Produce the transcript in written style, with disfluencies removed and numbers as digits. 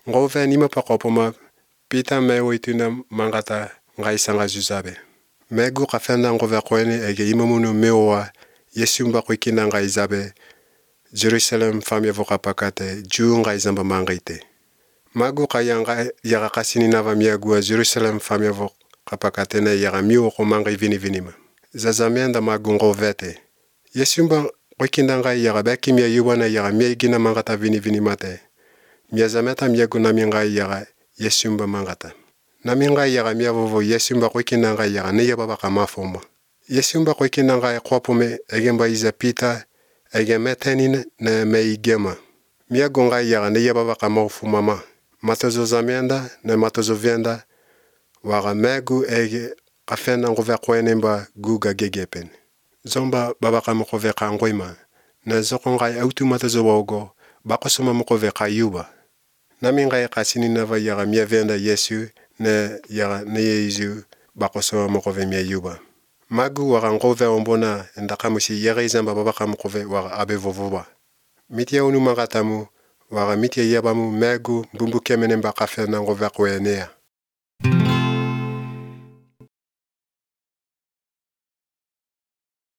Ngove nima pakopoma Pita me wituna mangata ngai sanga zuzabe. Megu kafenda ngove kwene ege imamunu mewa Yesumba kwikina ngai zabe Jerusalem famia voka pakate juu ngai zamba mangaite. Magu kayanga yaga kasini nava miagua Jerusalem famia voka pakate na yaga miu ko mangai vini-vinima. Zazamianda magu ngovete. Yesumba kwikina ngai yaga beki mia yuwana yaga miagina mangata vini-vinimate. Miazameta miagu nami ngai yaga Yesumba mangata. Nami ngai yaga miavovo Yesumba kwikina ngai yaga ne yababa kamafoma. Yesumba kwikina ngai kwapume egemba iza Pita ege metenine na meigema. Miagu ngai yaga ne yababa kamafumama. Matozo zamienda na matozo vienda waga megu ege kafena ngove kwenemba guga gegepen. Zomba baba kamukove kangoima na zoko ngai autu matozo wogo bakosoma mukove kayuba. Nami ngai kasini nava yaga miavenda Yesu ne yaga ne Yesu bakosoma mukove miayuba. Magu waga ngove ombona ndakamusi yaga izamba baba kamukove waga abevovoba. Mitia unu mangatamu waga mitia yabamu megu mbumbu kemenemba kafena ngove kwenea.